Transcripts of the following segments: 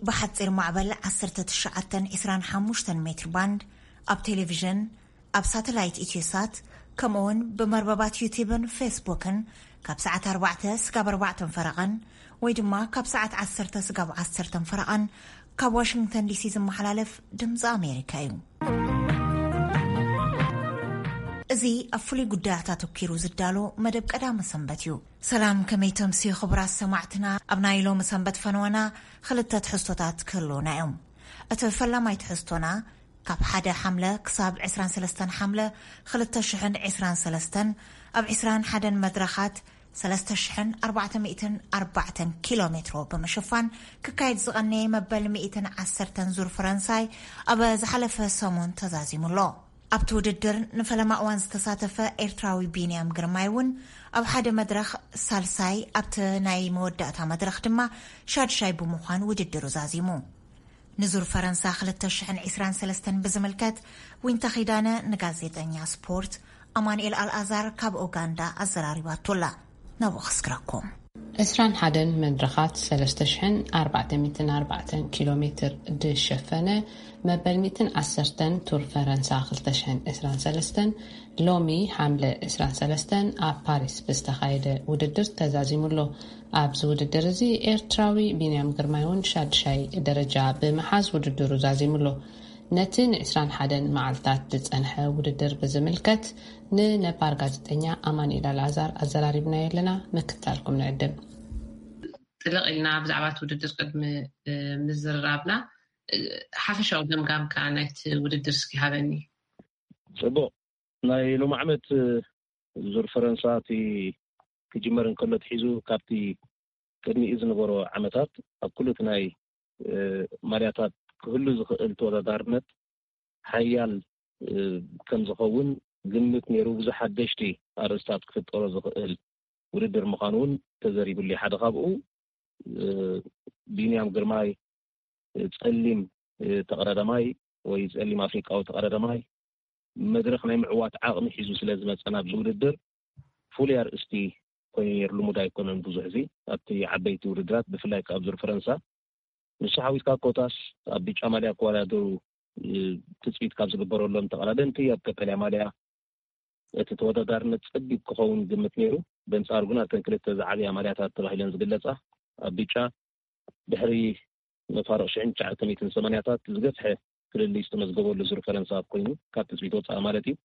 ብሓጺር ማዕበል ዓሰርተ ትሽዓተ ዕስራን ሓሙሽተን ሜትር ባንድ፣ ኣብ ቴሌቪዥን፣ ኣብ ሳተላይት ኢትዮሳት፣ ከምኡውን ብመርበባት ዩቲብን ፌስቡክን ካብ ሰዓት ኣርባዕተ ስጋብ ኣርባዕተን ፈረቓን ወይ ድማ ካብ ሰዓት ዓሰርተ ስጋብ ዓሰርተን ፈረቓን ካብ ዋሽንግተን ዲሲ ዝመሓላለፍ ድምፂ ኣሜሪካ እዩ። እዚ ኣብ ፍሉይ ጉዳያት ኣተኲሩ ዝዳሎ መደብ ቀዳመ ሰንበት እዩ። ሰላም፣ ከመይ ተምስዩ ክቡራት ሰማዕትና? ኣብ ናይ ሎሚ ሰንበት ፈነወና ክልተ ትሕዝቶታት ክህልውና እዮም። እቲ ፈላማይ ትሕዝቶና ካብ ሓደ ሓምለ ክሳብ ዕስራን ሰለስተን ሓምለ ክልተ ሽሕን ዕስራን ሰለስተን ኣብ ዕስራን ሓደን መድረኻት ሰለስተ ሽሕን ኣርባዕተ ሚእትን ኣርባዕተን ኪሎ ሜትሮ ብምሽፋን ክካየድ ዝቐነየ መበል ሚእትን ዓሰርተን ዙር ፈረንሳይ ኣብ ዝሓለፈ ሰሙን ተዛዚሙ ኣሎ። ኣብቲ ውድድር ንፈለማ እዋን ዝተሳተፈ ኤርትራዊ ቢንያም ግርማይ እውን ኣብ ሓደ መድረኽ ሳልሳይ፣ ኣብቲ ናይ መወዳእታ መድረኽ ድማ ሻድሻይ ብምዃን ውድድሩ ዛዚሙ። ንዙር ፈረንሳ ክልተ ሽሕን ዕስራን ሰለስተን ብዝምልከት ዊንታ ኺዳነ ንጋዜጠኛ ስፖርት ኣማኑኤል ኣልኣዛር ካብ ኡጋንዳ ኣዘራሪባቶ ኣላ። ናብኡ ከስግረኩም። ዕስራን ሓደን መድረኻት ሰለስተ ሽሕን ኣርባዕተ ሚእትን ኣርባዕተን ኪሎ ሜትር ዝሸፈነ መበል ሚእትን ዓሰርተን ቱር ፈረንሳ ክልተ ሽሕን ዕስራን ሰለስተን ሎሚ ሓምለ ዕስራን ሰለስተን ኣብ ፓሪስ ብዝተኻየደ ውድድር ተዛዚሙ ኣሎ። ኣብዚ ውድድር እዚ ኤርትራዊ ቢንያም ግርማይ እውን ሻድሻይ ደረጃ ብምሓዝ ውድድሩ ዛዚሙ ኣሎ። ነቲ ንዕስራን ሓደን መዓልታት ዝጸንሐ ውድድር ብዝምልከት ንነባር ጋዜጠኛ ኣማኑኤል ኣልኣዛር ኣዘራሪብናዮ ኣለና። ምክታልኩም ንዕድም። ጥልቕ ኢልና ብዛዕባ እቲ ውድድር ቅድሚ፣ እ፣ ምዝርራብና፣ እ፣ ሓፈሻዊ ገምጋምካ ናይቲ ውድድር እስኪ ሃበኒ። ጽቡቕ። ናይ ሎሚ ዓመት፣ እ፣ ዙር ፈረንሳ እቲ ክጅመር እንከሎ ትሒዙ ካብቲ ቅድሚኡ ዝነበሮ ዓመታት ኣብ ኩሉ እቲ ናይ፣ እ፣ ማልያታት ክህሉ ዝኽእል ተወዳዳርነት ሓያል፣ እ፣ ከም ዝኸውን ግምት ነይሩ። ብዙሕ ሓደሽቲ ኣርእስታት ክፍጠሮ ዝኽእል ውድድር ምዃኑ እውን ተዘሪቡሉ። ሓደ ካብኡ፣ እ፣ ቢንያም ግርማይ፣ እ፣ ጸሊም፣ እ፣ ተቐዳዳማይ ወይ ጸሊም ኣፍሪቃዊ ተቐዳዳማይ መድረኽ ናይ ምዕዋት ዓቕሚ ሒዙ ስለ ዝመጸ ናብዚ ውድድር ፍሉይ ኣርእስቲ ኮይኑ ነይሩ። ልሙድ ኣይኮነን ብዙሕ እዚ ኣብቲ ዓበይቲ ውድድራት፣ ብፍላይ ከኣ ኣብ ዙር ፈረንሳ። ንሱ ሓዊስካ ኮታስ ኣብ ብጫ ማልያ ክወዳደሩ፣ እ፣ ትጽቢት ካብ ዝግበረሎም ተቐዳደምቲ ኣብ ቀጠልያ ማልያ እቲ ተወዳዳርነት ጸቢብ ክኸውን ግምት ነይሩ። በንጻሩ ግን ኣብተን ክልተ ዝዓብያ ማልያታት ተባሂለን ዝግለጻ ኣብ ብጫ ድሕሪ መፋርቕ ሽሕን ትሽዓተ ሚእትን ሰማንያታት ዝገፍሐ ፍልልይ ዝተመዝገበሉ ዙር ፈረንሳ ኮይኑ ካብ ትጽቢት ወጻኢ ማለት እዩ።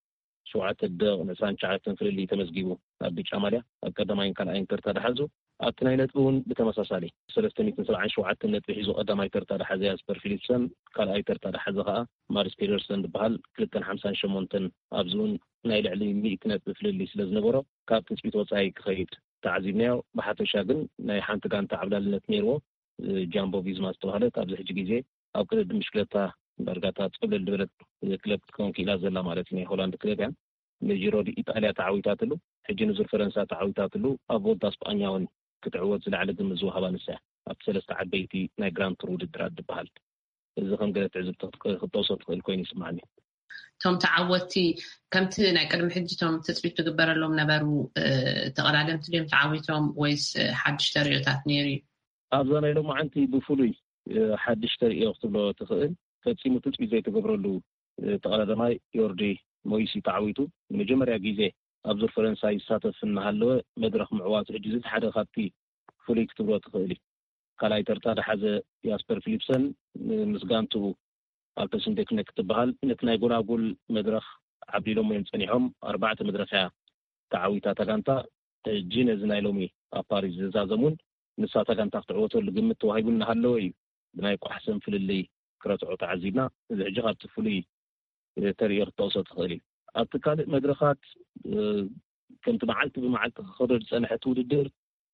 ሸውዓተ ደቂቕ ዕስራን ትሽዓተን ፍልልይ ተመዝጊቡ ኣብ ብጫ ማልያ ኣብ ቀዳማይን ካልኣይን ተርታ ድሓዙ። ኣብቲ ናይ ነጥቢ እውን ብተመሳሳሊ ሰለስተ ሚእትን ሰብዓን ሸውዓተን ነጥቢ ሒዙ ቀዳማይ ተርታ ድሓዘ ያስፐር ፊሊፕሰን፣ ካልኣይ ተርታ ድሓዘ ከኣ ማርስ ፔደርሰን ዝበሃል ክልተን ሓምሳን ሸሞንተን፣ ኣብዚ እውን ናይ ልዕሊ ሚእቲ ነጥቢ ፍልልይ ስለ ዝነበሮ ካብ ትጽቢት ወጻኢ ክኸይድ ተዓዚብናዮ። ብሓፈሻ ግን ናይ ሓንቲ ጋንታ ዓብላልነት ነይርዎ። እ፣ ጃምቦ ቪዝማ ዝተባህለት ኣብዚ ሕጂ ግዜ ኣብ ቅድድም ብሽክለታ ዳርጋ እታ ጽብልል ዝበለት፣ እ፣ ክለብ ክትከውን ክኢላ ዘላ ማለት እዩ። ናይ ሆላንድ ክለብ እያ። ንጂሮ ዲ ኢጣልያ ተዓዊታትሉ፣ ሕጂ ንዙር ፈረንሳ ተዓዊታትሉ፣ ኣብ ቮልታ ስጳኛ እውን ክትዕወት ዝለዓለ ግምት ዝወሃባ ንሳ እያ። ኣብቲ ሰለስተ ዓበይቲ ናይ ግራንድ ቱር ውድድራት ዝበሃል። እዚ ከም ገለ ትዕዝብቲ ክት-፣ ክትጠቕሶ ትኽእል ኮይኑ ይስማዓኒ። እቶም ተዓወትቲ ከምቲ ናይ ቅድሚ ሕጂ እቶም ትጽቢት ትግበረሎም ነበሩ፣ እ፣ ተቐዳደምቲ ድዮም ተዓዊቶም ወይስ፣ እ፣ ሓድሽ ተርእዮታት ነይሩ እዩ? ኣብዛ ናይ ሎማዓንቲ ብፍሉይ፣ እ፣ ሓድሽ ተርእዮ ክትብሎ ትኽእል፣ ፈጺሙ ትጽቢት ዘይተገብረሉ፣ እ፣ ተቐዳዳማይ ዮርዲ ሞይስ እዩ ተዓዊቱ። ንመጀመርያ ግዜ ኣብ ዙር ፈረንሳ ይሳተፍ እናሃለወ መድረኽ ምዕዋቱ ሕጂ እዚ ሓደ ካብቲ ፍሉይ ክትብሎ ትኽእል እዩ። ካልኣይ ተርታ ድሓዘ ያስፐር ፊሊፕሰን ምስ ጋንትኡ ኣልተስንዴክነ ክትበሃል ነቲ ናይ ጎላጉል መድረኽ ዓብሊሎም እዮም ጸኒሖም። ኣርባዕተ መድረኽ እያ ተዓዊታ እታ ጋንታ። ሕጂ ነዚ ናይ ሎሚ ኣብ ፓሪስ ዝዛዘም እውን ንሳ እታ ጋንታ ክትዕወተሉ ግምት ተዋሂቡ እናሃለወ እዩ ብናይ ቋሕሰን ፍልልይ ክረትዖ ተዓዚብና። እዚ ሕጂ ካብቲ ፍሉይ፣ እ፣ ተርእዮ ክትጠቕሶ ትኽእል እዩ። ኣብቲ ካልእ መድረኻት፣ እ፣ ከምቲ መዓልቲ ብመዓልቲ ክኸዶ ዝጸንሐ እቲ ውድድር፣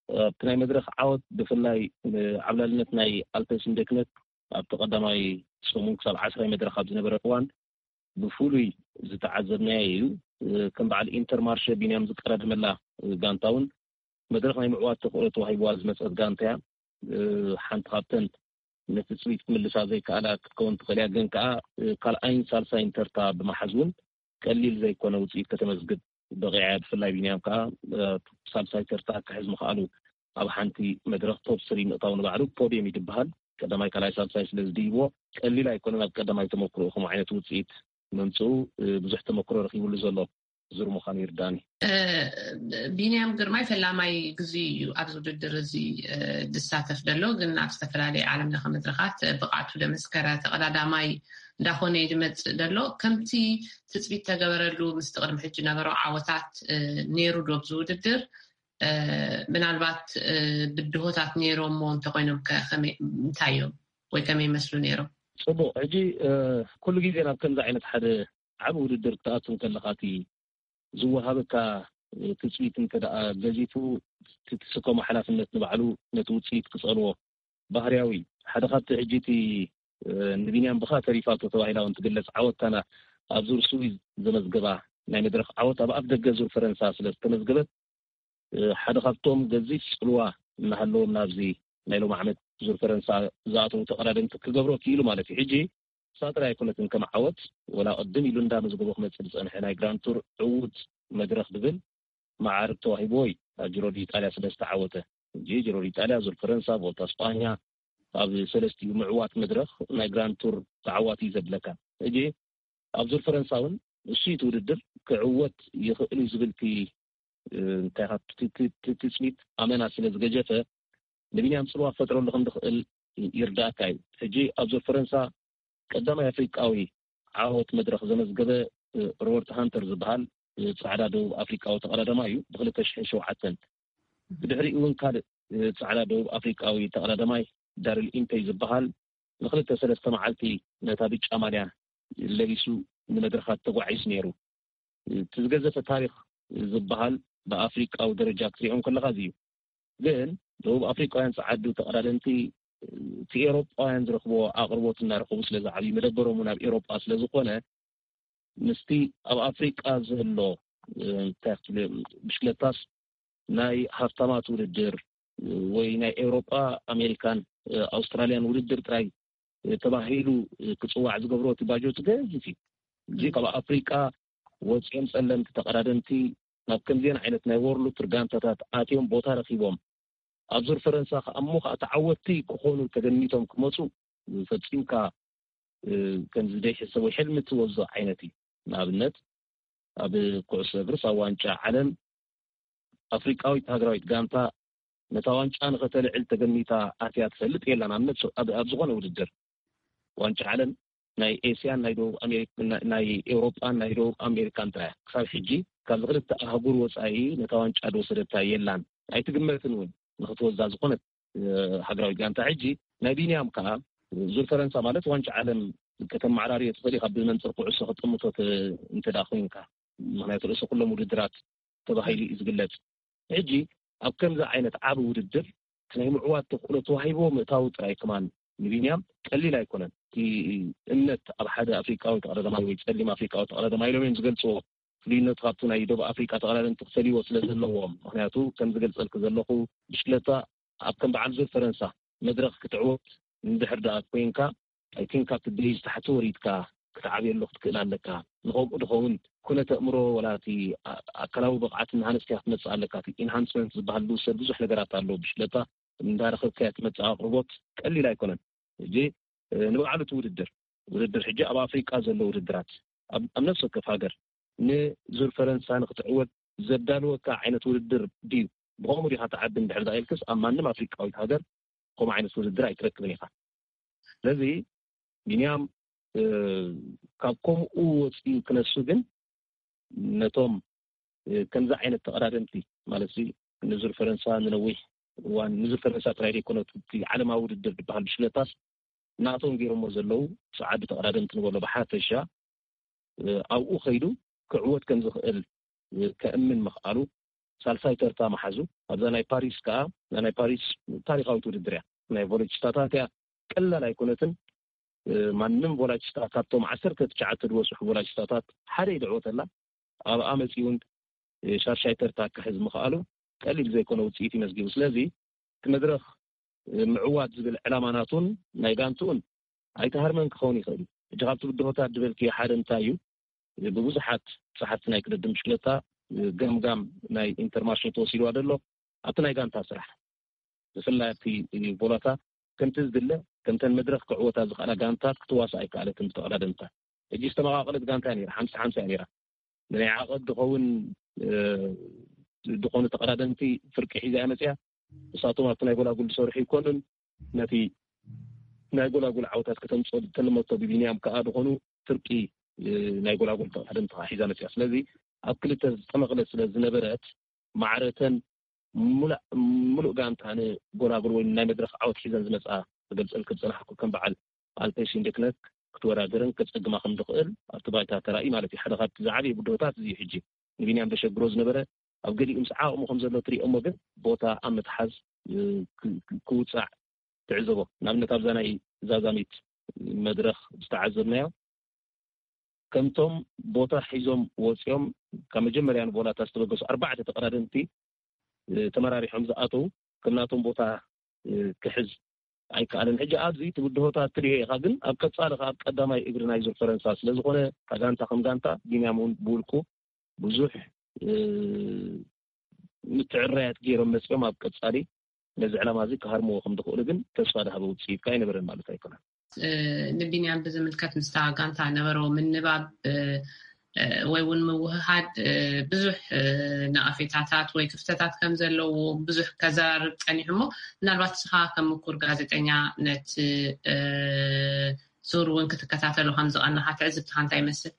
ኣብቲ ናይ መድረኽ ዓወት ብፍላይ፣ እ፣ ዓብላልነት ናይ ኣልተስን ደክነት ኣብቲ ቀዳማይ ሰሙን ክሳብ ዓስራይ መድረኽ ኣብ ዝነበረ እዋን ብፍሉይ ዝተዓዘብናዮ እዩ። እ፣ ከም በዓል ኢንተርማርሸ ቢንያም ዝቀዳደመላ፣ እ፣ ጋንታ እውን መድረኽ ናይ ምዕዋት ተኽእሎ ተዋሂብዋ ዝመጸት ጋንታ እያ። እ፣ ሓንቲ ካብተን ነቲ ጽሪት ክምልሳ ዘይከኣላ ክትከውን ትኽእል እያ፣ ግን ከኣ፣ እ፣ ካልኣይን ሳልሳይን ተርታ ብምሓዝ እውን ቀሊል ዘይኮነ ውጽኢት ከተመዝግብ በቒዓ እያ። ብፍላይ ቢንያም ከኣ፣ እ፣ ሳልሳይ ተርታ ክሕዝ ምኽኣሉ ኣብ ሓንቲ መድረኽ ቶፕ ስሪ ምእታው ንባዕሉ ፖድየም እዩ ዝበሃል። ቀዳማይ ካልኣይ ሳልሳይ ስለ ዝድይብዎ ቀሊል ኣይኮነን። ኣብ ቀዳማይ ተመክሮ ከምኡ ዓይነት ውፅኢት መምፅኡ ብዙሕ ተመክሮ ረኪብሉ ዘሎ ዙር ምዃኑ ይርዳኒ። ቢንያም ግርማይ ፈላማይ ግዜ እዩ ኣብዚ ውድድር እዚ ዝሳተፍ ዘሎ፣ ግን ኣብ ዝተፈላለዩ ዓለም ለኸ መድረኻት ብቕዓቱ ደመስከረ ተቐዳዳማይ እንዳኾነ እዩ ዝመፅእ ዘሎ። ከምቲ ትፅቢት ተገበረሉ ምስቲ ቅድሚ ሕጂ ነበሮ ዓወታት ነይሩ ዶ ኣብዚ ውድድር? ምናልባት ብድሆታት ነይሮሞ እንተኮይኖም እንታይ እዮም ወይ ከመይ ይመስሉ ነይሮም? ፅቡቅ። ሕጂ ኩሉ ግዜ ናብ ከምዚ ዓይነት ሓደ ዓብ ውድድር ክትኣቱ ከለካ እቲ ዝወሃበካ ትፅቢት እንተ ደኣ ገዚፉ፣ እቲ ትስከሞ ሓላፍነት ንባዕሉ ነቲ ውፅኢት ክፀልዎ ባህርያዊ። ሓደ ካብቲ ሕጂ እቲ ንቢንያም ብኻ ተሪፋቶ ተባሂላ እውን ትግለፅ ዓወት ታና ኣብ ዙር ስዊዝ ዘመዝገባ ናይ መድረኽ ዓወት ኣብ ኣፍ ደገ ዙር ፈረንሳ ስለ ዝተመዝገበት ሓደ ካብቶም ገዚፍ ፅልዋ እናሃለዎም ናብዚ ናይ ሎም ዓመት ዙር ፈረንሳ ዝኣተዉ ተቐዳደምቲ ክገብሮ ክኢሉ ማለት እዩ። ሕጂ ሳጥራ ኣይኮነትን ከም ዓወት ወላ ቅድም ኢሉ እንዳመዝገቦ ክመፅእ ዝፀንሐ ናይ ግራንቱር ዕዉት መድረኽ ዝብል መዓርግ ተዋሂቦ እዩ። ኣብ ጅሮ ዲጣልያ ስለ ዝተዓወተ ሕጂ ጅሮ ዲጣልያ ዙር ፈረንሳ ቮልታ ስጳኛ ኣብ ሰለስቲኡ ምዕዋት መድረኽ ናይ ግራንቱር ተዓዋቲ እዩ ዘብለካ። ሕጂ ኣብ ዙር ፈረንሳ እውን እሱ እቲ ውድድር ክዕወት ይኽእል እዩ ዝብል ትፅቢት ኣመና ስለ ዝገጀፈ ንቢንያም ፅልዋ ክፈጥረሉ ከም ዝኽእል ይርዳእካ እዩ። ሕጂ ኣብ ዙር ፈረንሳ ቀዳማይ ኣፍሪቃዊ ዓወት መድረኽ ዘመዝገበ ሮበርት ሃንተር ዝበሃል ፃዕዳ ደቡብ ኣፍሪቃዊ ተቐዳዳማ እዩ። ብክልተ ሽሕን ሸውዓተን ብድሕሪኡ እውን ካልእ ፃዕዳ ደቡብ ኣፍሪቃዊ ተቐዳዳማይ ዳሪል ኢምፔይ ዝበሃል ንክልተ ሰለስተ መዓልቲ ነታ ብጫ ማልያ ለቢሱ ንመድረኻት ተጓዒዙ ነይሩ። እቲ ዝገዘፈ ታሪኽ ዝበሃል ብኣፍሪቃዊ ደረጃ ክትሪኦም ከለካ እዚ እዩ። ግን ደቡብ ኣፍሪቃውያን ፃዓዱ ተቐዳደምቲ እቲ ኤሮጳውያን ዝረክቦ ኣቕርቦት እናረከቡ ስለ ዝዓብዩ መደበሮም እውን ኣብ ኤሮጳ ስለ ዝኾነ ምስቲ ኣብ ኣፍሪቃ ዘሎ እንታይ ክትብል ብሽክለታስ ናይ ሃብታማት ውድድር ወይ ናይ ኤውሮጳ ኣሜሪካን ኣውስትራልያን ውድድር ጥራይ ተባሂሉ ክፅዋዕ ዝገብሮ እቲ ባጀቱ ገዚፍ እዩ። እዚ ካብ ኣፍሪቃ ወፂኦም ፀለምቲ ተቐዳደምቲ ናብ ከምዚአን ዓይነት ናይ ወርሉ ቱር ጋንታታት ኣትዮም ቦታ ረኪቦም ኣብ ዙር ፈረንሳ ከኣ እሞ ከዓ ተዓወትቲ ክኾኑ ተገሚቶም ክመፁ ፈፂምካ ከምዚ ዘይሕሰብ ወይ ሕልሚ ትወዞ ዓይነት እዩ። ንኣብነት ኣብ ኩዕሶ እግርስ ኣብ ዋንጫ ዓለም ኣፍሪቃዊት ሃገራዊት ጋንታ ነታ ዋንጫ ንኸተልዕል ተገሚታ ኣትያ ትፈልጥ የላን። ኣብ ዝኾነ ውድድር ዋንጫ ዓለም ናይ ኤስያን ናይ ደቡብ ኣሜሪካ ናይ ኤውሮጳን ናይ ደቡብ ኣሜሪካን ጥራያ ክሳብ ሕጂ ካብዚ ክልተ ኣህጉር ወፃኢ ነታ ዋንጫ ዝወሰደታ የላን። ኣይትግመትን እውን ንክትወዛ ዝኾነት ሃገራዊት ጋንታ። ሕጂ ናይ ቢንያም ከዓ ዙር ፈረንሳ ማለት ዋንጫ ዓለም ከተመዓራርዮ ትኽእል ኢካ ብመንፅር ኩዕሶ ክትጥምቶ እንተ ደኣ ኮይንካ። ምክንያቱ ርእሲ ኩሎም ውድድራት ተባሂሉ እዩ ዝግለጽ። ሕጂ ኣብ ከምዚ ዓይነት ዓቢ ውድድር ናይ ምዕዋት ተኽእሎ ተዋሂቦ ምእታው ጥራይ ከማን ንቢንያም ቀሊል ኣይኮነን። እቲ እምነት ኣብ ሓደ ኣፍሪቃዊ ተቐዳዳማይ ወይ ጸሊም ኣፍሪቃዊ ተቐዳዳማይ ኢሎም እዮም ዝገልጽዎ። ፍልይነቱ ካብቲ ናይ ደቡብ ኣፍሪቃ ተቐዳደምቲ ክፈልይዎ ስለ ዘለዎም። ምክንያቱ ከም ዝገልጸልክ ዘለኹ ብሽክለታ ኣብ ከም በዓል ዙር ፈረንሳ መድረኽ ክትዕወት እንድሕር ደኣ ኮይንካ ኣይ ቲንክ ካብቲ ቤዝ ታሕቲ ወሪድካ ክትዓብየሉ ክትክእል ኣለካ። ንኸምኡ ድኸውን ኩነተ ኣእምሮ ወላ እቲ ኣካላዊ ብቕዓት እናሃነፅካ ክትመፅእ ኣለካ። እቲ ኢንሃንስመንት ዝበሃል ዝውሰድ ብዙሕ ነገራት ኣሎ። ብሽለታ እንዳረኸብካዮ ትመፅእ ኣቕርቦት ቀሊል ኣይኮነን። ሕጂ ንባዕሉ እቲ ውድድር ውድድር ሕጂ ኣብ ኣፍሪቃ ዘሎ ውድድራት ኣብ ነፍሲ ወከፍ ሃገር ንዙር ፈረንሳ ንክትዕወት ዘዳልወካ ዓይነት ውድድር ድዩ? ብኸምኡ ዲኻ ትዓቢ እንድሕር ዳኢልክስ ኣብ ማንም ኣፍሪቃዊት ሃገር ከምኡ ዓይነት ውድድር ኣይትረክብን ኢኻ። ስለዚ ቢንያም ካብ ከምኡ ወፂኡ ክነሱ ግን ነቶም ከምዚ ዓይነት ተቐዳደምቲ ማለት ንዙር ፈረንሳ ንነዊሕ እዋን ንዙር ፈረንሳ ጥራይ ዘይኮነ እቲ ዓለማዊ ውድድር ዝበሃል ብሽለታስ ናቶም ገይሮሞ ዘለዉ ፃዓዱ ተቐዳደምቲ ንበሎ ብሓፈሻ ኣብኡ ከይዱ ክዕወት ከም ዝኽእል ከእምን ምኽኣሉ ሳልሳይ ተርታ መሓዙ። ኣብዛ ናይ ፓሪስ ከዓ እዛ ናይ ፓሪስ ታሪካዊት ውድድር እያ። ናይ ቮሎችታታት እያ። ቀላል ኣይኮነትን። ማንም ቮላችታ ካብቶም ዓሰርተ ትሽዓተ ዝበፅሑ ቮላችታታት ሓደ እዩ ዝዕወተላ። ኣብኣ መፂኡ እውን ሻድሻይ ተርታ ክሕዝ ምኽኣሉ ቀሊል ዘይኮነ ውፅኢት እዩ መዝጊቡ። ስለዚ እቲ መድረኽ ምዕዋት ዝብል ዕላማ ናቱን ናይ ጋንትኡን ኣይተሃርመን ክኸውን ይኽእል እዩ። ሕጂ ካብቲ ብድሆታት ዝበልክዮ ሓደ እንታይ እዩ? ብብዙሓት ጸሓፍቲ ናይ ቅድድም ብሽክለታ ገምጋም ናይ ኢንተርማርሾ ተወሲድዋ ዘሎ ኣብቲ ናይ ጋንታ ስራሕ ብፍላይ ኣብቲ ቦላታ ከምቲ ዝድለ ከምተን መድረኽ ክዕወታ ዝኽእላ ጋንታት ክትዋሳእ ኣይከኣለትን ብተቐዳደምታ። ሕጂ ዝተመቓቐለት ጋንታ እያ ነይራ፣ ሓምሳ ሓምሳ እያ ነይራ። ንናይ ዓቐብ ዝኸውን፣ እ፣ ዝኾኑ ተቐዳደምቲ ፍርቂ ሒዛ እያ መፅያ። ንሳቶም ኣብቲ ናይ ጎላጉል ዝሰርሑ ይኮኑን፣ ነቲ ናይ ጎላጉል ዓወታት ከተምፅኦ ዝተለመቶ ብቢንያም ከኣ ዝኾኑ ፍርቂ፣ እ፣ ናይ ጎላጉል ተቐዳደምቲ ከኣ ሒዛ መፅያ። ስለዚ ኣብ ክልተ ዝተመቕለት ስለ ዝነበረት፣ ማዕረተን ሙላእ-፣ ሙሉእ ጋንታ ንጎላጉል ወይ ናይ መድረኽ ዓወት ሒዘን ዝመፅኣ ክገልፀልኪ ዝፀናሕኩ፣ ከም በዓል ኣልፔ ሽንደክነት ክትወዳደርን ከፀግማ ከም ዝኽእል ኣብቲ ባይታ ተራእዩ ማለት እዩ። ሓደ ካብቲ ዝዓበየ ብድሆታት እዚ እዩ። ሕጂ ንቢንያም ዘሸግሮ ዝነበረ፣ ኣብ ገሊኡ ምስ ዓቕሙ ከም ዘሎ ትሪኦ እሞ፣ ግን ቦታ ኣብ ምትሓዝ፣ እ፣ ክ-፣ ክ-፣ ክውፃዕ ትዕዘቦ። ንኣብነት ኣብዛ ናይ ዛዛሚት መድረኽ ዝተዓዘብናዮ፣ ከምቶም ቦታ ሒዞም ወፂኦም ካብ መጀመርያ ንቦላታ ዝተበገሱ ኣርባዕተ ተቐዳደምቲ፣ እ፣ ተመራሪሖም ዝኣተው፣ ከም ናቶም ቦታ፣ እ፣ ክሕዝ ኣይከኣለን። ሕጂ ኣብዚ እቲ ብድሆታት ትሪኦ ኢኻ፣ ግን ኣብ ቀፃሊ ከኣ ኣብ ቀዳማይ እግሪ ናይ ዙር ፈረንሳ ስለ ዝኾነ፣ ካብ ጋንታ ከም ጋንታ፣ ቢንያም እውን ብውልቁ ብዙሕ፣ እ፣ ምትዕርራያት ገይሮም መፂኦም ኣብ ቀፃሊ ነዚ ዕላማ እዚ ክሃርምዎ ከም ዝኽእሉ ግን ተስፋ ዝሃበ ውፅኢት ከኣ ኣይነበረን ማለት ኣይኮነን። እ፣ ንቢንያም ብዝምልከት ምስታ ጋንታ ነበሮ ምንባብ፣ እ፣ እ፣ ወይ እውን ምውህሃድ፣ እ፣ ብዙሕ፣ እ፣ ነቐፌታታት ወይ ክፍተታት ከም ዘለዎ ብዙሕ ከዘራርብ ጸኒሑ እሞ፣ ምናልባት ንስኻ ከም ምኩር ጋዜጠኛ ነቲ፣ እ፣ ዙር እውን ክትከታተሎ ከም ዝቐነኻ ትዕዝብትኻ እንታይ ይመስል?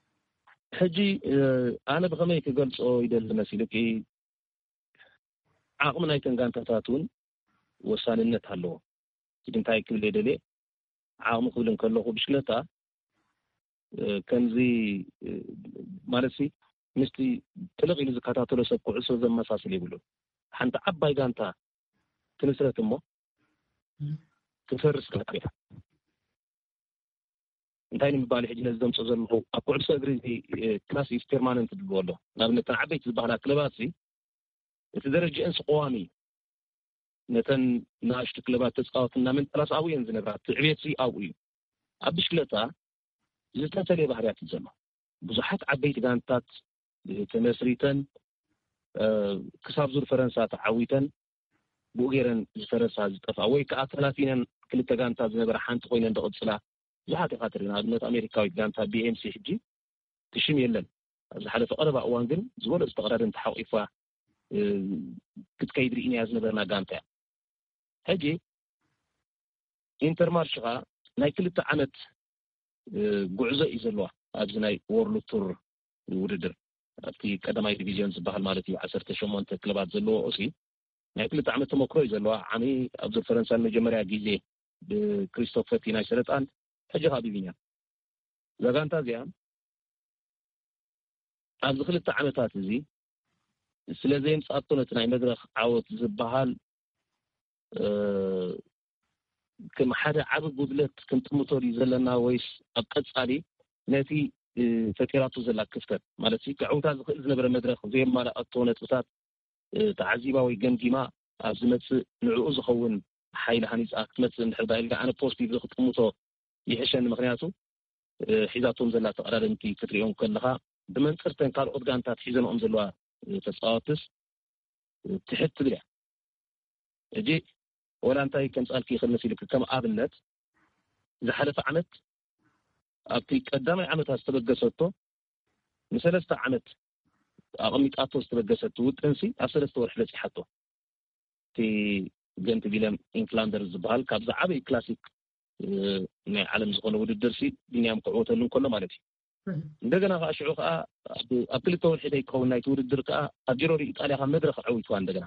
ሕጂ፣ እ፣ ኣነ ብኸመይ ክገልጾ ይደሊ መሲሉኪ? ዓቕሚ ናይተን ጋንታታት እውን ወሳንነት ኣለዎ። ሕጂ እንታይ ክብል እየ ደልየ? ዓቕሚ ክብል እንከለኹ ብሽክለታ፣ እ፣ ከምዚ፣ እ፣ ማለትሲ ምስቲ ጥልቕ ኢሉ ዝከታተሎ ሰብ ኩዕሶ ዘመሳስል የብሉን። ሓንቲ ዓባይ ጋንታ ትምስረት እሞ ትፈርስ ጋንታ እያ። እንታይ ንምባል ሕጂ ነዚ ዘምፅኦ ዘለኹ፣ ኣብ ኩዕሶ እግሪ እዚ፣ እ፣ ክላሲስ ፔርማነንት ዝብልዎ ኣሎ። ንኣብነት እተን ዓበይቲ ዝበሃላ ክለባት እዚ እቲ ደረጃኤንስ ቀዋሚ እዩ። ነተን ንኣሽቱ ክለባት ተፃወት እናመንጠላስ ኣብኡ እየን ዝነብራ። እቲ ዕቤት እዚ ኣብኡ እዩ። ኣብ ብሽክለታ ዝተፈለየ ባህርያት እዩ ዘሎ። ብዙሓት ዓበይቲ ጋንታት፣ እ፣ ተመስሪተን፣ እ፣ ክሳብ ዙር ፈረንሳ ተዓዊተን ብኡ ገይረን ዝፈረሳ ዝጠፍኣ ወይ ከዓ ተላፊነን ክልተ ጋንታ ዝነበራ ሓንቲ ኮይነን ዝቕፅላ ብዙሓት ኢኻ ትርኢ። ንኣብነት ኣሜሪካዊት ጋንታ ቢ ኤም ሲ ሕጂ ትሽም የለን። ኣብ ዝሓለፈ ቀረባ እዋን ግን ዝበለፁ ተቐዳደምቲ ሓቂፋ፣ እ፣ ክትከይድ ርኢናያ ዝነበርና ጋንታ እያ። ሕጂ ኢንተርማርሽ ኸዓ ናይ ክልተ ዓመት፣ እ፣ ጉዕዞ እዩ ዘለዋ ኣብዚ ናይ ወርልድ ቱር ውድድር። ኣብቲ ቀዳማይ ዲቪዝዮን ዝበሃል ማለት እዩ፣ ዓሰርተ ሸሞንተ ክለባት ዘለዎ ኦሲ ናይ ክልተ ዓመት ተመክሮ እዩ ዘለዋ። ዓሚ ኣብ ዙር ፈረንሳ ንመጀመርያ ግዜ ብክሪስቶፍ ፈቲ ናይ ሰለጣን፣ ሕጂ ኸዓ ብቢንያም። እዛ ጋንታ እዚኣ ኣብዚ ክልተ ዓመታት እዚ ስለ ዘየምጻኣቶ ነቲ ናይ መድረኽ ዓወት ዝበሃል፣ እ፣ ከም ሓደ ዓቢ ጉድለት ክንጥምቶ ድዩ ዘለና ወይስ ኣብ ቀጻሊ ነቲ፣ እ፣ ፈጢራቶ ዘላ ክፍተት ማለት እዩ፣ ከዕውታ ዝኽእል ዝነበረ መድረኽ ዘየማልኣቶ ነጥብታት፣ እ፣ ተዓዚባ ወይ ገምጊማ ኣብ ዝመጽእ ንዕኡ ዝኸውን ሓይሊ ሃኒጻ ክትመጽእ እንድሕር ዳ ኢልካ ኣነ ፖዚቲቭ ክጥምቶ ይሕሸኒ። ምኽንያቱ፣ እ፣ ሒዛቶም ዘላ ተቐዳደምቲ ክትሪኦም ከለኻ ብመንጽርተን ካልኦት ጋንታት ሒዘንኦም ዘለዋ፣ እ፣ ተጻወትስ፣ እ፣ ትሕት ትብል እያ። ሕጂ ወላ እንታይ ከምጻልኪ ይኽእል መሲልኪ፣ ከም ኣብነት ዝሓለፈ ዓመት ኣብቲ ቀዳማይ ዓመታ ዝተበገሰቶ ንሰለስተ ዓመት ኣቐሚጣቶ ዝተበገሰት ውጥንሲ ኣብ ሰለስተ ወርሒ በጺሓቶ። እቲ ገንት ቪለም ኢንፍላንደር ዝበሃል ካብ ዝዓበዩ ክላሲክ፣ እ፣ ናይ ዓለም ዝኾነ ውድድር ሲ ቢንያም ክዕወተሉ እንከሎ ማለት እዩ። እህ። እንደገና ከዓ ሽዑ ከዓ ኣብ፣ ኣብ ክልተ ወርሒ ዘይከውን ናይቲ ውድድር ከዓ ኣብ ጂሮ ዲ ኢጣልያ ካብ መድረኽ ኣዕዊትዋ እንደገና።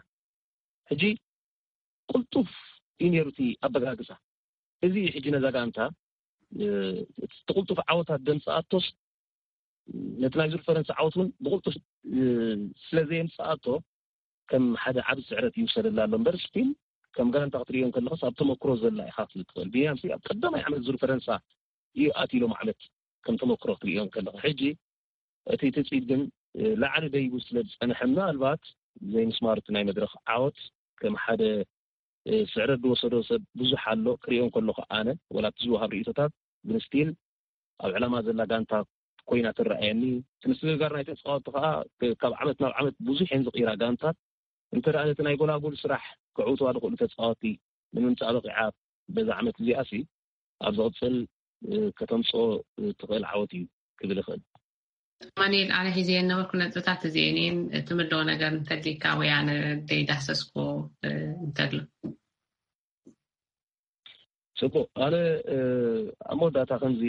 ሕጂ ቅልጡፍ እዩ ነይሩ እቲ ኣበጋግሳ። እዚ እዩ ሕጂ ነዛ ጋንታ፣ እ፣ እቲ ቅልጡፍ ዓወታት ደምፅኣቶስ ነቲ ናይ ዙር ፈረንሳ ዓወት እውን ብቕልጡፍ፣ እ፣ ስለ ዘየምፅኣቶ ከም ሓደ ዓቢ ስዕረት ይውሰደላ ኣሎ እምበር፣ ስቲል ከም ጋንታ ክትርእዮ እንከለኻስ ኣብ ተመክሮ ዘላ ኢኻ ክትብል ትኽእል። ቢንያምሲ ኣብ ቀዳማይ ዓመት ዙር ፈረንሳ እዩ ኣትዩ ሎም ዓመት ከም ተመክሮ ክትርእዮ እንከለኻ። ሕጂ እቲ ትጽቢት ግን፣ እ፣ ላዕሊ ደይቡ ስለ ዝጸንሐ፣ ምናልባት ዘይምስማር እቲ ናይ መድረኽ ዓወት ከም ሓደ፣ እ፣ ስዕረት ዝወሰዶ ሰብ ብዙሕ ኣሎ። ክርእዮ እንከለኹ ኣነ፣ ወላ እቲ ዝወሃብ ርእይቶታት፣ ግን ስቲል ኣብ ዕላማ ዘላ ጋንታ ኮይና ትረኣየኒ። እቲ ምስግጋር ናይ ተጻወትቲ ከኣ፣ እ፣ ካብ ዓመት ናብ ዓመት ብዙሕ እየን ዝቕይራ ጋንታት። እንተ ደኣ ነቲ ናይ ጎላጉል ስራሕ ክዕውትዋ ዝኽእሉ ተጻወትቲ ንምምጻእ በቒዓ በዛ ዓመት እዚኣሲ፣ ኣብ ዝቕጽል ከተምጽኦ ትኽእል ዓወት እዩ ክብል ይኽእል። ማኒኤል፣ ኣነ ሒዘ የነበርኩ ነጥብታት እዚኤን እየን። እቲ ምደው ነገር እንተሊካ ወይ ኣነ ደይዳሰስኩ እንተሎ። ጽቡቕ። ኣነ ኣብ መወዳእታ ከምዚ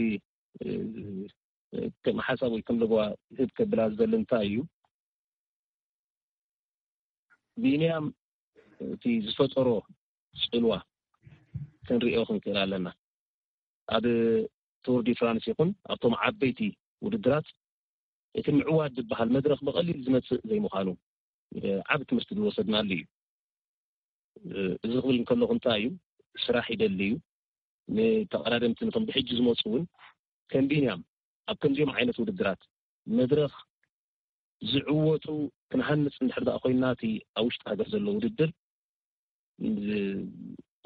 ከም ሓሳብ ወይ ከም ለበዋ ህብ ከብላ ዝደሊ እንታይ እዩ፣ ቢንያም እቲ ዝፈጠሮ ጽልዋ ክንሪኦ ክንክእል ኣለና። ኣብ ቱር ዲ ፍራንስ ይኹን ኣብቶም ዓበይቲ ውድድራት እቲ ምዕዋድ ዝበሃል መድረኽ ብቐሊል ዝመጽእ ዘይምዃኑ ዓቢ ትምህርቲ ዝወሰድናሉ እዩ። እዚ ክብል እንከለኹ እንታይ እዩ፣ ስራሕ ይደሊ እዩ። ንተቐዳደምቲ ነቶም ብሕጂ ዝመፁ እውን ከም ቢንያም ኣብ ከምዚኦም ዓይነት ውድድራት መድረኽ ዝዕወቱ ክንሃንፅ እንድሕር ደኣ ኮይንና እቲ ኣብ ውሽጢ ሃገር ዘሎ ውድድር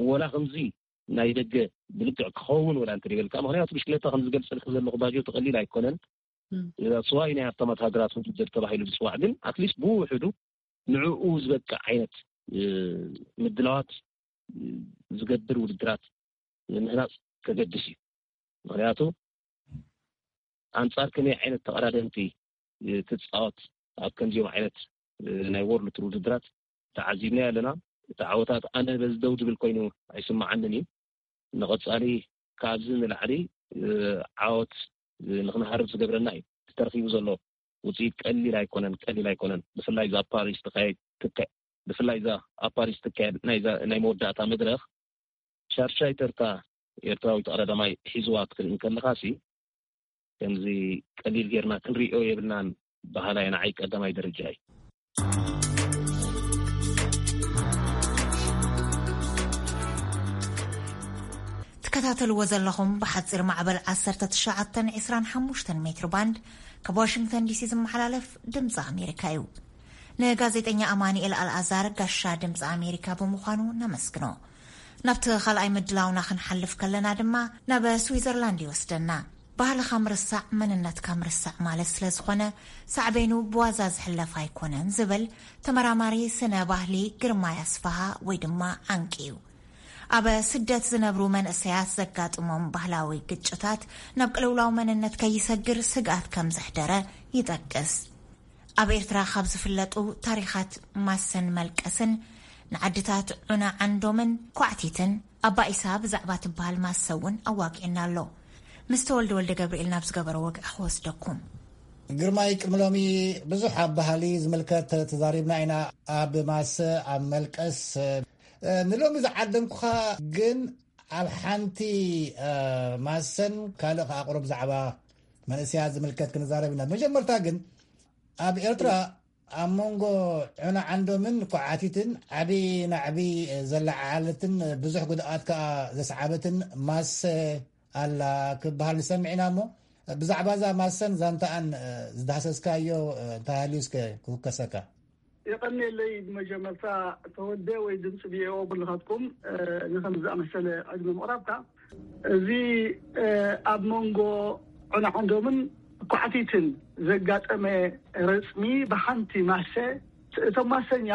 ወላ ከምዚ ናይ ደገ ብልክዕ ክኸውን ወላ እንተ ይበልካ፣ ምክንያቱ ብሽክለታ ከም ዝገልፀልክ ዘለኹ ባጆ ተቐሊል ኣይኮነን። ስዋይ ናይ ሃብታማት ሃገራት ውድድር ተባሂሉ ዝፅዋዕ ግን ኣትሊስት ብውሕዱ ንዕኡ ዝበቅዕ ዓይነት ምድላዋት ዝገብር ውድድራት ምህናፅ ከገድስ እዩ። ምክንያቱ ኣንፃር ከመይ ዓይነት ተቐዳደምቲ ትፃወት ኣብ ከምዚኦም ዓይነት ናይ ወርልድ ቱር ውድድራት ተዓዚብና ኣለና። እቲ ዓወታት ኣነ በዚ ደው ዝብል ኮይኑ ኣይስምዓንን እዩ። ንቐፃሊ ካብዚ ንላዕሊ ዓወት ንክንሃርብ ዝገብረና እዩ። ተረኪቡ ዘሎ ውፅኢት ቀሊል ኣይኮነን፣ ቀሊል ኣይኮነን። ብፍላይ እዛ ኣብ ፓሪስ ትካየድ ትካየድ ብፍላይ እዛ ኣብ ፓሪስ ትካየድ ናይ መወዳእታ መድረኽ ሻርሻይ ተርታ ኤርትራዊ ተቐዳዳማይ ሒዝዋ ክትርኢ እንከለኻሲ ከምዚ ቀሊል ጌርና ክንሪኦ የብልናን በሃላይ ንዓይ ቀዳማይ ደረጃ እዩ። ትከታተልዎ ዘለኹም ብሓፂር ማዕበል ዓሰርተ ትሽዓተ ዕስራን ሓሙሽተን ሜትር ባንድ ካብ ዋሽንግተን ዲሲ ዝመሓላለፍ ድምፂ ኣሜሪካ እዩ። ንጋዜጠኛ ኣማኒኤል ኣልኣዛር ጋሻ ድምፂ ኣሜሪካ ብምዃኑ ነመስግኖ። ናብቲ ካልኣይ ምድላውና ክንሓልፍ ከለና ድማ ናብ ስዊዘርላንድ ይወስደና። ባህልኻ ምርሳዕ መንነትካ ምርሳዕ ማለት ስለ ዝኾነ ሳዕቤኑ ብዋዛ ዝሕለፍ ኣይኮነን ዝብል ተመራማሪ ስነ ባህሊ ግርማይ ኣስፍሃ ወይ ድማ ዓንቂ እዩ። ኣብ ስደት ዝነብሩ መንእሰያት ዘጋጥሞም ባህላዊ ግጭታት ናብ ቅልውላው መንነት ከይሰግር ስግኣት ከም ዘሕደረ ይጠቅስ። ኣብ ኤርትራ ካብ ዝፍለጡ ታሪኻት ማሰን መልቀስን ንዓድታት ዑና ዓንዶምን ኳዕቲትን ኣባኢሳ ብዛዕባ ትበሃል ማሰ እውን ኣዋጊዕና ኣሎ። ምስ ተወልደ ወልደ ገብርኤል ናብ ዝገበሮ ወግዒ ክወስደኩም። ግርማይ፣ ቅድሚ ሎሚ ብዙሕ ኣብ ባህሊ ዝምልከት ተዛሪብና ኢና። ኣብ ማሰ፣ ኣብ መልቀስ፣ ንሎሚ ዝዓደምኩኻ ግን ኣብ ሓንቲ ማሰን ካልእ ከዓ ቁሩብ ዛዕባ መንእሰያት ዝምልከት ክንዛረብ ኢና። መጀመርታ ግን ኣብ ኤርትራ ኣብ መንጎ ዑና ዓንዶምን ኳዓቲትን ዓቢ ናዕቢ ዘለዓዓለትን ብዙሕ ጉድኣት ከዓ ዘስዓበትን ማሰ ኣላ ክበሃል ንሰምዕ ኢና። እሞ ብዛዕባ እዛ ማሰን ዛንታኣን ዝዳህሰስካዮ እንታይ ሃልዩ እስከ ክውከሰካ። የቐንየለይ። ብመጀመርታ ተወልደ ወይ ድምፂ ቪኦኤ ብልኻትኩም ንከም ዝኣመሰለ ዕድመ ምቕራብካ። እዚ ኣብ መንጎ ዑና ዓንዶምን ኳዕቲትን ዘጋጠመ ረፅሚ ብሓንቲ ማሰ፣ እቶም ማሰኛ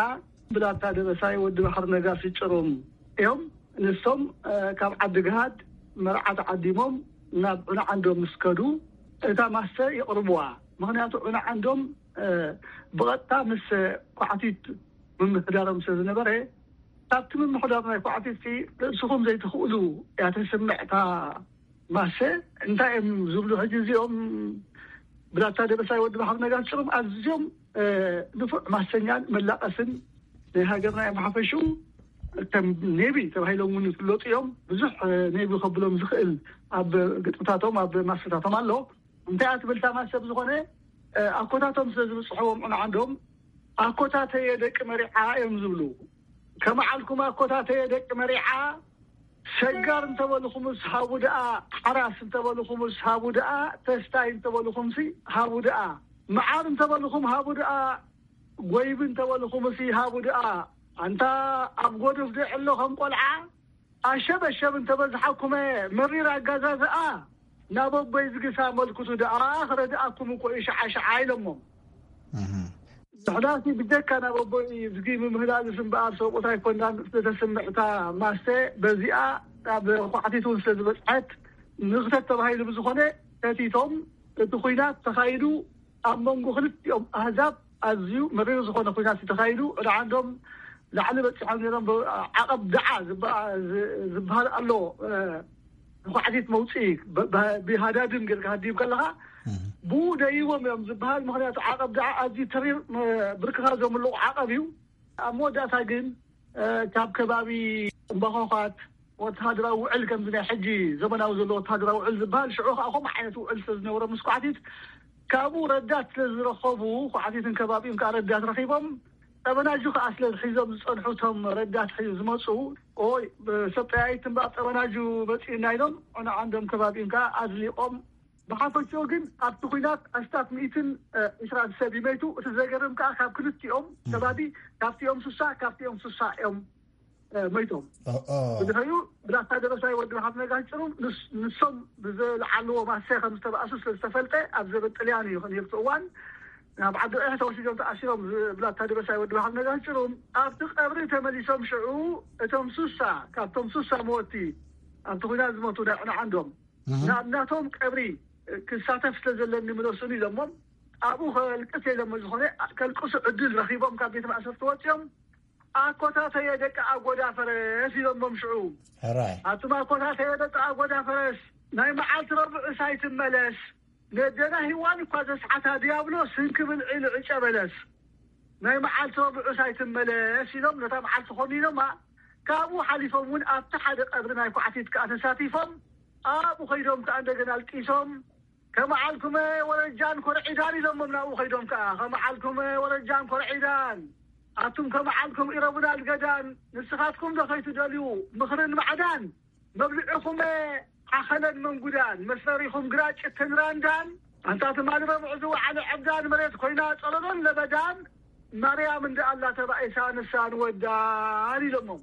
ብላታ ደበሳይ ወዲ ባሕሪ ነጋሲ ጭሩም እዮም። ንሶም ካብ ዓዲ ግሃድ መርዓ ተዓዲሞም ናብ ዑና ዓንዶም ምስ ከዱ እታ ማሰ ይቕርብዋ። ምክንያቱ ዑና ዓንዶም ብቐጥታ ምስ ኳዕቲት ምምሕዳሮም ስለ ዝነበረ፣ ካብቲ ምምሕዳር ናይ ኳዕቲት ርእስኹም ዘይትኽእሉ እያ ተስምዕ እታ ማሰ። እንታይ እዮም ዝብሉ ሕጂ እዚኦም? ብላታ ደበሳይ ወዲ ባሕሪ ነጋሲ ጭሩም ኣዝዮም ንፉዕ ማሰኛን መላቐስን ናይ ሃገርና እዮም። ሓፈሽኡ ከም ኔቢ ተባሂሎም እውን ይፍለጡ እዮም። ብዙሕ ኔቢ ከብሎም ዝኽእል ኣብ ግጥምታቶም ኣብ ማሰታቶም ኣሎ። እንታይ እያ ትብል እታ ማሰ? ብዝኾነ ኣኮታቶም ስለ ዝብፅሕዎም ዑና ዓንዶም ኣኮታተየ ደቂ መሪዓ እዮም ዝብሉ። ከመዓልኩም ኣኮታተየ ደቂ መሪዓ፣ ሰጋር እንተበልኹምስ ሃቡ ደኣ፣ ሓራስ እንተበልኹምስ ሃቡ ደኣ፣ ተስታይ እንተበልኹምሲ ሃቡ ደኣ፣ መዓር እንተበልኹም ሃቡ ደኣ፣ ጎይቢ እንተበልኹምሲ ሃቡ ደኣ። ኣንታ ኣብ ጎድፍ ዶ ዕሎ ከም ቆልዓ ኣሸበሸብ እንተበዝሓኩመ መሪር ኣጋዛዝኣ፣ ናብ ኣቦይ ዝግሳ መልክቱ ደኣ ክረድኣኩም እኮ እዩ ሸዓ ሸዓ ኢሎሞም። ዝሕዳሲ ብጀካ ናብ ኣቦይ ዝጊ ምምህላልስ እምበኣር ሰብኡት ኣይኮናን ዝተተስምዕታ ማሰ በዚኣ ናብ ኳዕቲት እውን ስለ ዝበፅሐት ንኽተት ተባሂሉ ብዝኾነ ተቲቶም እቲ ኩናት ተኻይዱ ኣብ መንጎ ክልቲኦም ኣህዛብ ኣዝዩ መሪር ዝኾነ ኩናት ተኻይዱ። ዳዓንዶም ላዕሊ በፂሖም ነሮም። ዓቐብ ዳዓ ዝበሃል ኣሎ። ኳዕቲት መውፅኢ ብሃዳድም ጌርካ ሃዲም ከለኻ ብኡ ደይዎም እዮም ዝበሃል። ምክንያቱ ዓቐብ ዳዓ ኣዝዩ ተሪር ብርክኻ ዘምልቑ ዓቐብ እዩ። ኣብ መወዳእታ ግን ካብ ከባቢ እምባኾኻት ወተሃደራዊ ውዕል ከምዚ ናይ ሕጂ ዘመናዊ ዘሎ ወተሃደራዊ ውዕል ዝበሃል ሽዑ ከዓ ከምኡ ዓይነት ውዕል ስለ ዝነበሮ ምስ ኳዕቲት ካብኡ ረዳት ስለ ዝረኸቡ ኳዕቲትን ከባቢኡን ከዓ ረዳት ረኺቦም ጠበናጁ ከዓ ስለ ዝሒዞም ዝፀንሑ እቶም ረዳት ሒዙ ዝመፁ ኦይ ሰብ ጠያይት እምበኣር ጠበናጁ መፂኡና ኢሎም ንዓንዶም ከባቢኡን ከዓ ኣዝሊቆም ብሓፈሽኡ ግን ኣብቲ ኩናት ኣስታት ሚእትን ዕስራን ሰብ ይመይቱ። እቲ ዘገርም ከዓ ካብ ክልቲኦም ከባቢ ካብቲኦም ስሳ ካብቲኦም ስሳ እዮም መይቶም። ብድሕሪኡ ብላታ ደበሳይ ወዲ መሓመድ ነጋሽ ጭሩም ንሶም ብዝለዓልዎ ማሰ ከም ዝተባእሱ ስለ ዝተፈልጠ ኣብ ዘበን ጥልያን እዩ ነርቱ እዋን ናብ ዓዲ ቐይሕ ተወሲዶም ተኣሲሮም ብላታ ደበሳይ ወዲ መሓመድ ነጋሽ ጭሩም ኣብቲ ቀብሪ ተመሊሶም ሽዑ እቶም ስሳ ካብቶም ስሳ መወቲ ኣብቲ ኩናት ዝመቱ ናይ ዕንዓንዶም ናብ ናቶም ቀብሪ ክሳተፍ ስለ ዘለኒ ምለሱኒ ኢሎሞም ኣብኡ ከልቅስ ኢሎሞ ዝኾነ ከልቅሱ ዕድል ረኺቦም ካብ ቤት ማእሰርቲ ወፂኦም ኣኮታተየ ደቂ ኣጎዳ ፈረስ ኢሎሞም ሽዑ ሕራይ ኣቱም ኣኮታተየ ደቂ ኣጎዳ ፈረስ ናይ መዓልቲ ረብዑ ሳይትመለስ ነደና ሂዋን እኳ ዘስሓታ ዲያብሎስ ህንክብል ዒሉ ዕጨ በለስ ናይ መዓልቲ ረብዑ ሳይትመለስ ኢሎም ነታ መዓልቲ ኮኒኖማ ካብኡ ሓሊፎም እውን ኣብቲ ሓደ ቀብሪ ናይ ኳዕቲት ከዓ ተሳቲፎም ኣብኡ ከይዶም ከዓ እንደገና ኣልቂሶም ከመዓልኩመ ወረጃን ኮርዒዳን ኢሎሞም ናብኡ ከይዶም ከዓ ከመዓልኩመ ወረጃን ኮርዒዳን ኣቱም ከመዓልኩም ኢረቡና ልገዳን ንስኻትኩም ዶ ከይትደልዩ ምኽርን ማዕዳን መብልዕኹመ ዓኸለን መንጉዳን መስረሪኹም ግራጭ ተንራንዳን ኣንታ ትማሊ ረብዑ ዝወዓለ ዕብዳን መሬት ኮይና ጸለሎን ለበዳን ማርያም እንደ ኣላ ተባኢሳ ንሳ ንወዳን ኢሎሞም።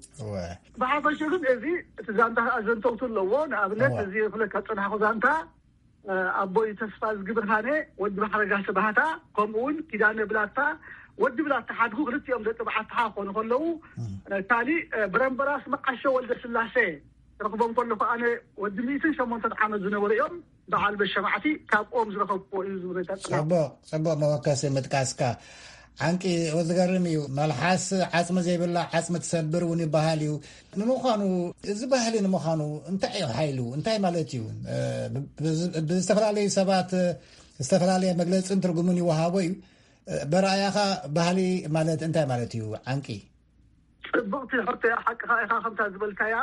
ብሓፈሹ ግን እዚ እቲ ዛንታ ከኣ ዘንተውቱ ኣለዎ። ንኣብነት እዚ ክለካ ጸናሕኩ ዛንታ ኣቦይ ተስፋ ዝግብርሃነ ወዲ ባሕረ ጋሰ ባህታ ከምኡ እውን ኪዳነ ብላታ ወዲ ብላታ ሓድጉ ክልቲኦም ደቂ በዓልትኻ ክኾኑ ከለዉ ካሊእ ብረምበራስ መዓሾ ወልደ ስላሴ ረኽቦም ከለኹ ኣነ ወዲ ሚእትን ሸሞንተን ዓመት ዝነበሩ እዮም። በዓል በሸማዕቲ ካብኦም ዝረኸብዎ እዩ ዝብረታ ጽቡቕ ጽቡቕ መወከሲ ምጥቃስካ ዓንቂ ዝገርም እዩ። መልሓስ ዓፅሚ ዘይብላ ዓፅሚ ትሰብር እውን ይበሃል እዩ። ንምዃኑ እዚ ባህሊ ንምዃኑ እንታይ እዩ ሓይሉ እንታይ ማለት እዩ? ብዝተፈላለዩ ሰባት ዝተፈላለየ መግለፅን ትርጉምን ይወሃቦ እዩ። በረኣያኻ ባህሊ ማለት እንታይ ማለት እዩ ዓንቂ? ፅብቕቲ ሕቶ እያ ሓቅኻ ኢኻ ከምታ ዝበልካያ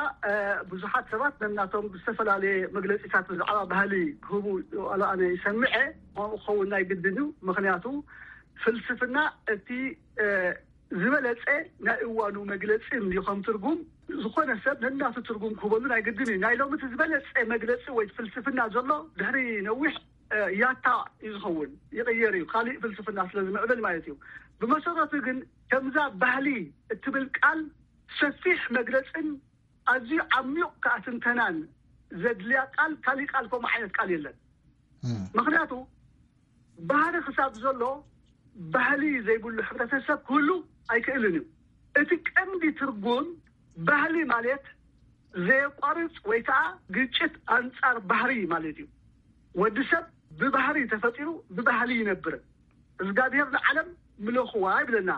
ብዙሓት ሰባት ነናቶም ዝተፈላለየ መግለፂታት ብዛዕባ ባህሊ ክህቡ ኣነ ይሰምዐ። ከምኡ ክኸውን ናይ ግድን እዩ። ምክንያቱ ፍልስፍና እቲ ዝበለፀ ናይ እዋኑ መግለፂ እንዲ ከም ትርጉም ዝኾነ ሰብ ነናቱ ትርጉም ክህበሉ ናይ ግድን እዩ። ናይ ሎሚ እቲ ዝበለፀ መግለፂ ወይ ፍልስፍና ዘሎ ድሕሪ ነዊሕ ያታ እዩ ዝኸውን ይቕየር እዩ ካሊእ ፍልስፍና ስለ ዝምዕብል ማለት እዩ። ብመሰረቱ ግን ከምዛ ባህሊ እትብል ቃል ሰፊሕ መግለፅን ኣዝዩ ዓሚቕ ከዓ ትንተናን ዘድልያ ቃል ካሊእ ቃል ከምኡ ዓይነት ቃል የለን። ምክንያቱ ባህሪ ክሳብ ዘሎ ባህሊ ዘይብሉ ሕብረተሰብ ክህሉ ኣይክእልን እዩ። እቲ ቀንዲ ትርጉም ባህሊ ማለት ዘየቋርፅ ወይ ከዓ ግጭት ኣንፃር ባህሪ ማለት እዩ። ወዲ ሰብ ብባህሪ ተፈጢሩ ብባህሊ ይነብር። እግዚኣብሔር ንዓለም ምለኽዋ ይብለና።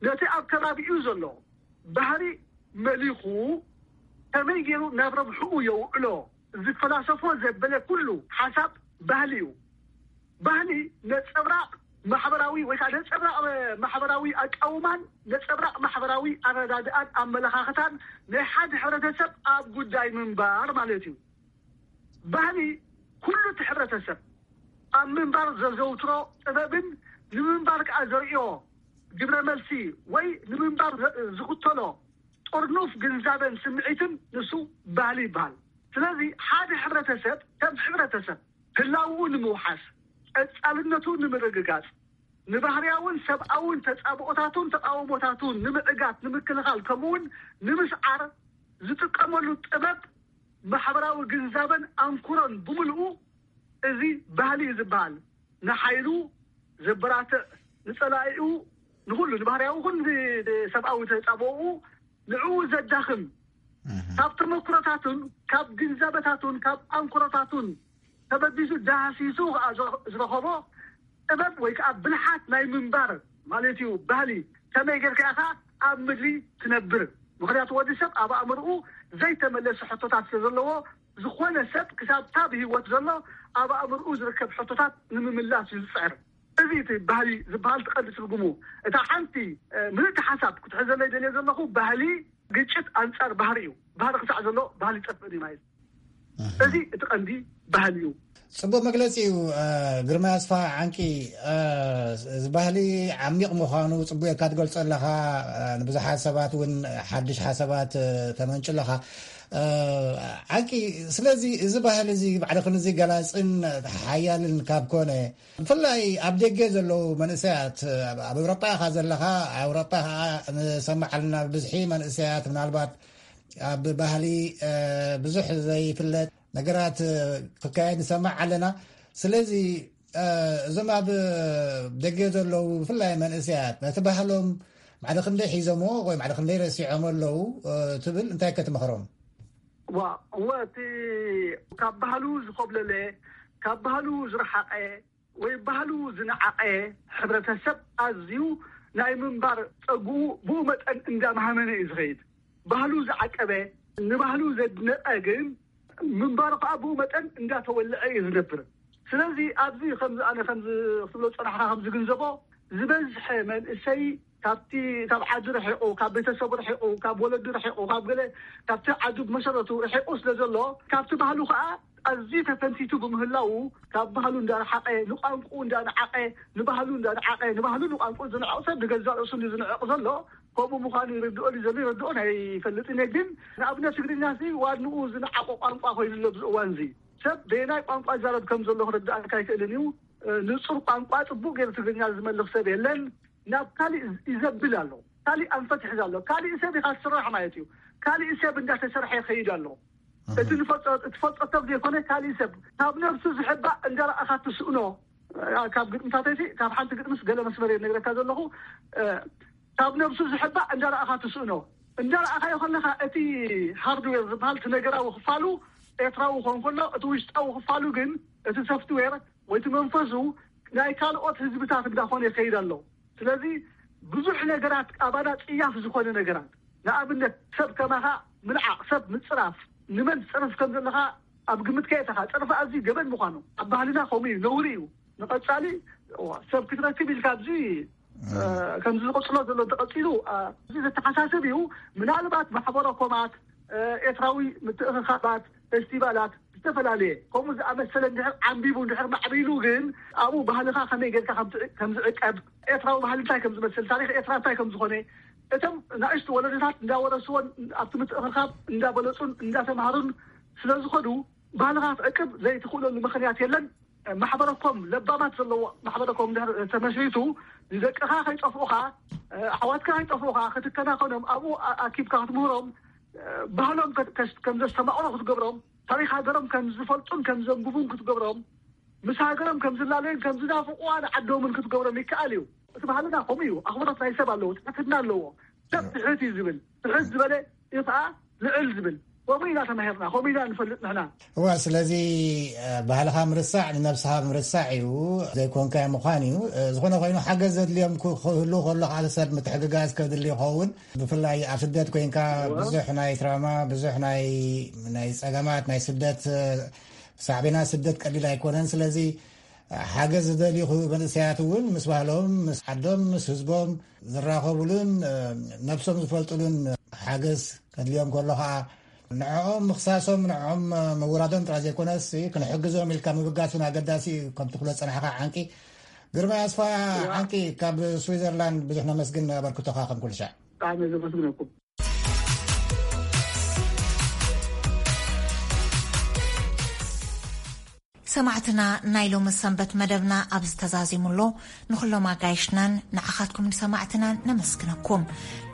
ነቲ ኣብ ከባቢኡ ዘሎ ባህሪ መሊኹ ከመይ ገይሩ ናብ ረብሕኡ የውዕሎ ዝፈላሰፎ ዘበለ ኩሉ ሓሳብ ባህሊ እዩ። ባህሊ ነፀብራቕ ማሕበራዊ ወይ ከዓ ነፀብራቕ ማሕበራዊ ኣቃውማን ነፀብራቕ ማሕበራዊ ኣረዳድኣን ኣመለኻኽታን ናይ ሓደ ሕብረተሰብ ኣብ ጉዳይ ምንባር ማለት እዩ። ባህሊ ኩሉ እቲ ሕብረተሰብ ኣብ ምንባር ዘዘውትሮ ጥበብን ንምንባር ከዓ ዘርእዮ ግብረ መልሲ ወይ ንምንባር ዝኽተሎ ጥርኑፍ ግንዛበን ስምዒትን ንሱ ባህሊ ይበሃል። ስለዚ ሓደ ሕብረተሰብ ከም ሕብረተሰብ ህላውኡ ንምውሓስ፣ ቀጻልነቱ ንምርግጋጽ፣ ንባህርያውን ሰብኣውን ተጻብኦታቱን ተቃውሞታቱን ንምዕጋት፣ ንምክልኻል ከምኡውን ንምስዓር ዝጥቀመሉ ጥበብ ማሕበራዊ ግንዛበን ኣንኩሮን ብምልኡ እዚ ባህሊ እዩ ዝበሃል። ንሓይሉ ዘበራትዕ፣ ንጸላኢኡ፣ ንኹሉ ንባህርያዊ ኹን ሰብኣዊ ተጻብኦኡ ንዕኡ ዘዳኽም ካብ ተመክሮታቱን ካብ ግንዛበታቱን ካብ ኣንኮሮታቱን ተበጊሱ ዳህሲሱ ከኣ ዝረ- ዝረኸቦ ጥበብ ወይ ከዓ ብልሓት ናይ ምንባር ማለት እዩ። ባህሊ ከመይ ጌርካ ኢኻ ኣብ ምድሪ ትነብር? ምክንያቱ ወዲ ሰብ ኣብ ኣእምርኡ ዘይተመለሰ ሕቶታት ስለ ዘለዎ፣ ዝኾነ ሰብ ክሳብ ካብ ህይወት ዘሎ ኣብ ኣእምርኡ ዝርከብ ሕቶታት ንምምላስ እዩ ዝፅዕር። እዚ እቲ ባህሊ ዝበሃል ትቐንዲ ትርጉሙ። እታ ሓንቲ ምልእቲ ሓሳብ ክትሕዘለይ ደልየ ዘለኹ፣ ባህሊ ግጭት ኣንጻር ባህሪ እዩ። ባህሪ ክሳዕ ዘሎ ባህሊ ይጠፍእን እዩ ማለት እዩ። እዚ እቲ ቀንዲ ባህሊ እዩ። ጽቡቅ መግለጺ እዩ። ግርማ ኣስፋ ዓንቂ፣ እዚ ባህሊ ዓሚቕ ምዃኑ ጽቡቅ እካ ትገልጾ ኣለኻ። ንብዙሓት ሰባት እውን ሓድሽ ሓሳባት ተመንጩ ኣለኻ። ዓንቂ፣ ስለዚ እዚ ባህሊ እዚ ባዕልኽን እዚ ገላጽን ሓያልን ካብ ኮነ፣ ብፍላይ ኣብ ደገ ዘለዉ መንእሰያት፣ ኣብ ኤውሮጳ ኢኻ ዘለኻ፣ ኣብ ኤውሮጳ ኸዓ ንሰምዕ ኣለና ብብዝሒ መንእሰያት ምናልባት ኣብ ባህሊ ብዙሕ ዘይፍለጥ ነገራት ክካየድ ንሰምዕ ኣለና። ስለዚ እዞም ኣብ ደገ ዘለዉ ብፍላይ መንእሰያት ነቲ ባህሎም ማዕደ ክንደይ ሒዞምዎ ወይ ማዕደ ክንደይ ረሲዖም ኣለዉ ትብል እንታይ ከትመኽሮም? ዋ እወ እቲ ካብ ባህሉ ዝኮብለለ ካብ ባህሉ ዝረሓቐ ወይ ባህሉ ዝነዓቐ ሕብረተሰብ ኣዝዩ ናይ ምንባር ጸግኡ ብኡ መጠን እንዳመሃመነ እዩ ዝኸይድ። ባህሉ ዝዓቀበ ንባህሉ ዘድነቐ ግን ምንባሩ ከዓ ብኡ መጠን እንዳተወልዐ እዩ ዝነብር። ስለዚ ኣብዚ ከምዚ ኣነ ከምዚ ክትብሎ ዝጸናሕካ ከምዚ ግንዘቦ ዝበዝሐ መንእሰይ ካብቲ ካብ ዓዲ ርሒቑ ካብ ቤተሰቡ ርሒቑ ካብ ወለዱ ርሒቑ ካብ ገለ ካብቲ ዓዱ ብመሰረቱ ርሒቑ ስለ ዘሎ ካብቲ ባህሉ ከዓ ኣዝዩ ተፈንቲቱ ብምህላዉ ካብ ባህሉ እንዳረሓቐ ንቋንቁኡ እንዳነዓቐ ንባህሉ እንዳነዓቐ ንባህሉ ንቋንቁኡ ዝንዕቕ ሰብ ንገዛእ ርእሱ እንዲ ዝንዕቕ ዘሎ ከምኡ ምዃኑ ይርድኦ ድዩ ዘሎ ይርድኦ ኣይፈልጥን እየ። ግን ንኣብነት ትግርኛ ሲ ዋንኡ ዝነዓቑ ቋንቋ ኮይኑ ኣሎ ኣብዚ እዋን እዚ ሰብ በየናይ ቋንቋ ይዛረብ ከም ዘሎ ክርድኣካ ኣይክእልን እዩ። ንጹር ቋንቋ ጽቡቕ ገይሩ ትግርኛ ዝመልኽ ሰብ የለን። ናብ ካሊእ ይዘብል ኣሎ። ካሊእ ኣንፈት ይሕዝ ኣሎ። ካሊእ ሰብ ኢኻ ትስራሕ ማለት እዩ። ካሊእ ሰብ እንዳተሰርሐ ይኸይድ ኣሎ። እቲ ንፈልጦ ትፈልጦ ሰብ ዘይኮነ ካሊእ ሰብ ካብ ነብሱ ዝሕባእ እንዳረኣኻ ትስእኖ። ካብ ግጥምታተይሲ ካብ ሓንቲ ግጥምስ ገለ መስመር እየ ነግረካ ዘለኹ። ካብ ነብሱ ዝሕባእ እንዳረኣኻ ትስእኖ። እንዳረኣኻዮ ከለኻ እቲ ሃርድዌር ዝበሃል እቲ ነገራዊ ክፋሉ ኤርትራዊ ክኾን ከሎ እቲ ውሽጣዊ ክፋሉ ግን እቲ ሶፍትዌር ወይ እቲ መንፈሱ ናይ ካልኦት ህዝብታት እንዳኾነ ይኸይድ ኣሎ። ስለዚ ብዙሕ ነገራት ኣባና ጽያፍ ዝኾነ ነገራት ንኣብነት ሰብ ከማኻ ምንዓቕ ሰብ ምጽራፍ ንመን ትጸርፍ ከም ዘለኻ ኣብ ግምት ከየእተኻ ጸርፊ ኣዝዩ ገበን ምዃኑ ኣብ ባህልና ከምኡ እዩ ነውሪ እዩ። ንቐጻሊ እዋ ሰብ ክትረክብ ኢልካ ኣብዚ ከምዚ ዝቐጽሎ ዘሎ እንተቐጺሉ እዚ ዘተሓሳስብ እዩ። ምናልባት ማሕበረ ኮማት ኤርትራዊ ምትእኽኻባት ፌስቲቫላት ዝተፈላለየ ከምኡ ዝኣመሰለ እንድሕር ዓንቢቡ እንድሕር ማዕቢሉ ግን ኣብኡ ባህልኻ ከመይ ጌርካ ከም ዝዕቀብ ኤርትራዊ ባህሊ እንታይ ከም ዝመስል ታሪክ ኤርትራ እንታይ ከም ዝኾነ እቶም ናእሽቱ ወለዶታት እንዳወረስዎን ኣብቲ ምትእኽኻብ እንዳበለጹን እንዳተምሃሩን ስለ ዝኾዱ ባህልኻ ክትዕቅብ ዘይትኽእለሉ ምኽንያት የለን። ማሕበረኮም ለባማት ዘለዎ ማሕበረኮም ተመስሪቱ ንደቅኻ ከይጠፍኡኻ ኣሕዋትካ ከይጠፍኡኻ ክትከናኸኖም ኣብኡ ኣኪብካ ክትምህሮም ባህሎም ከም ዘስተማቕሩ ክትገብሮም ታሪክ ሃገሮም ከም ዝፈልጡን ከም ዘንብቡን ክትገብሮም ምስ ሃገሮም ከም ዝላለዩን ከም ዝናፍቑዋ ንዓዶምን ክትገብሮም ይከኣል እዩ። እቲ ባህልና ከምኡ እዩ። ኣኽብሮት ናይ ሰብ ኣለዎ፣ ትሕትና ኣለዎ። ሰብ ትሕት እዩ ዝብል ትሕት ዝበለ እዩ ከዓ ልዕል ዝብል ከምኡ ኢና ተማሂርና ከምኡ ኢና ንፈልጥ ንሕና። እዋ ስለዚ ባህልኻ ምርሳዕ ንነብስኻ ምርሳዕ እዩ። ዘይኮንካዮ ምዃን እዩ። ዝኾነ ኮይኑ ሓገዝ ዘድልዮም ክህሉ ከሎ ካልእ ሰብ ምትሕግጋዝ ከድሊ ይኸውን። ብፍላይ ኣብ ስደት ኮይንካ ብዙሕ ናይ ትራማ ብዙሕ ናይ ናይ ጸገማት ናይ ስደት ሳዕቤናት ስደት ቀሊል ኣይኮነን። ስለዚ ሓገዝ ዝደልዩ መንእሰያት እውን ምስ ባህሎም ምስ ዓዶም ምስ ህዝቦም ዝራኸቡሉን ነብሶም ዝፈልጡሉን ሓገዝ ከድልዮም ከሎ ከዓ ንዕኦም ምኽሳሶም ንዕኦም ምውራዶም ጥራይ ዘይኮነስ ክንሕግዞም ኢልካ ምብጋስ እውን ኣገዳሲ እዩ። ከም ትብሎ ዝፀናሕካ ዓንቂ ግርማይ ኣስፋ ዓንቂ ካብ ስዊዘርላንድ ብዙሕ ነመስግን ኣበርክቶኻ ከም ኩሉ ሻዕ። ብጣዕሚ ዘመስግነኩም። ሰማዕትና ናይ ሎሚ ሰንበት መደብና ኣብዚ ተዛዚሙ ኣሎ። ንኹሎም ኣጋይሽናን ንዓኻትኩም ንሰማዕትናን ነመስግነኩም።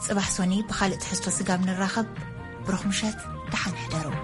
ጽባሕ ሶኒ ብኻልእ ትሕዝቶ ስጋብ ንራኸብ ብሩኽ ምሸት ደሓን ሕደሩ።